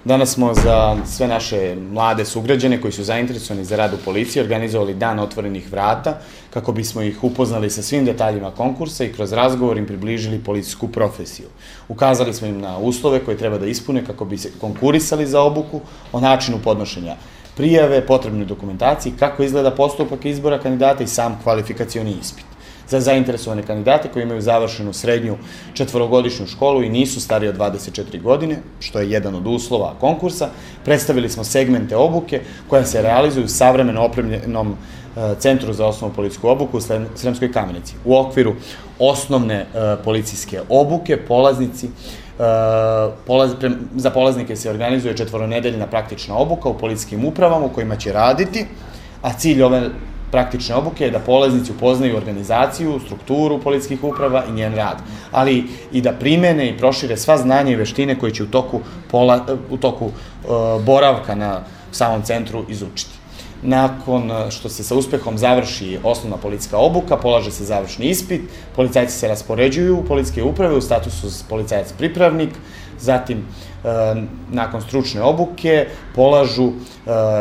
Danas smo za sve naše mlade sugrađane koji su zainteresovani za rad u policiji organizovali dan otvorenih vrata kako bismo ih upoznali sa svim detaljima konkursa i kroz razgovor im približili policijsku profesiju. Ukazali smo im na uslove koje treba da ispune kako bi se konkurisali za obuku, o načinu podnošenja prijave, potrebnoj dokumentaciji, kako izgleda postupak izbora kandidata i sam kvalifikacioni ispit. Za zainteresovane kandidate koji imaju završenu srednju četvorogodišnju školu i nisu stariji od 24 godine, što je jedan od uslova konkursa, predstavili smo segmente obuke koja se realizuju u savremeno opremljenom Centru za osnovnu policijsku obuku u Sremskoj Kamenici. U okviru osnovne policijske obuke za polaznike se organizuje četvoronedeljna praktična obuka u policijskim upravama u kojima će raditi, a cilj ove praktične obuke je da polaznici upoznaju organizaciju, strukturu policijskih uprava i njen rad, ali i da primene i prošire sva znanja i veštine koje će u toku boravka na samom centru izučiti. Nakon što se sa uspehom završi osnovna policijska obuka, polaže se završni ispit, policajci se raspoređuju u policijske uprave u statusu policajac pripravnik, zatim nakon stručne obuke polažu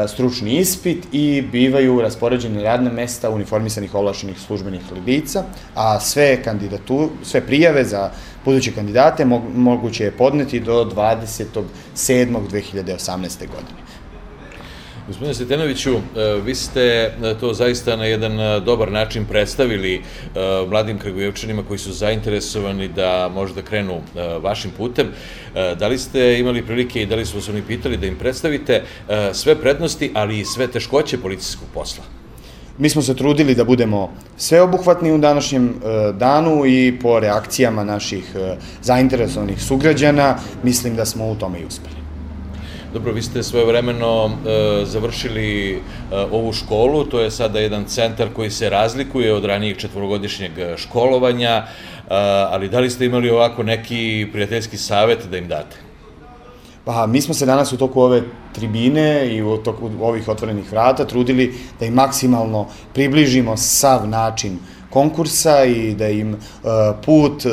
stručni ispit i bivaju raspoređeni na radna mesta uniformisanih ovlašćenih službenih lica, a sve prijave za buduće kandidate moguće je podneti do 27.7.2018. godine. Gospodine Sretenoviću, vi ste to zaista na jedan dobar način predstavili mladim Kragujevčanima koji su zainteresovani da možda krenu vašim putem. Da li ste imali prilike i da li su vas oni pitali da im predstavite sve prednosti, ali i sve teškoće policijskog posla? Mi smo se trudili da budemo sveobuhvatni u današnjem danu i po reakcijama naših zainteresovanih sugrađana mislim da smo u tome i uspeli. Dobro, vi ste svojevremeno završili ovu školu, to je sada jedan centar koji se razlikuje od ranijeg četvorogodišnjeg školovanja, ali da li ste imali ovako neki prijateljski savjet da im date? Pa, mi smo se danas u toku ove tribine i u toku ovih otvorenih vrata trudili da im maksimalno približimo sav način konkursa i da im put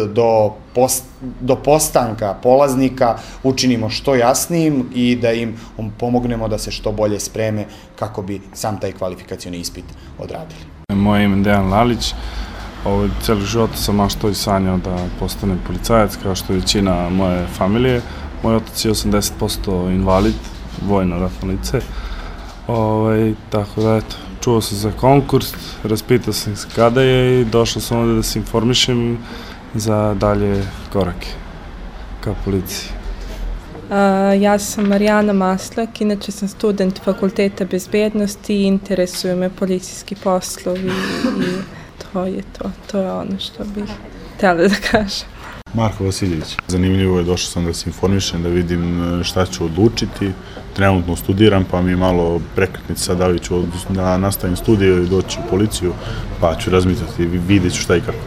do postanka polaznika učinimo što jasnijim i da im pomognemo da se što bolje spreme kako bi sam taj kvalifikacioni ispit odradili. Moje ime je Dejan Lalić. Celi život sam maštao i sanjao da postanem policajac, kao što je većina moje familije. Moj otac je 80% invalid, vojno-ratno lice. Tako da, eto, čuo sam za konkurs, raspitao sam se kada je i došao sam ovde da se informišem za dalje korake ka policiji. Ja sam Marijana Maslak, inače sam student Fakulteta bezbednosti i interesuju me policijski poslovi i to je to. To je ono što bih htjela da kažem. Marko Vasiljević. Zanimljivo je, došao sam da se informišem, da vidim šta ću odlučiti. Trenutno studiram, pa mi je malo prekretnica da li ću da nastavim studije ili doći u policiju, pa ću razmisliti i vidjet ću šta i kako.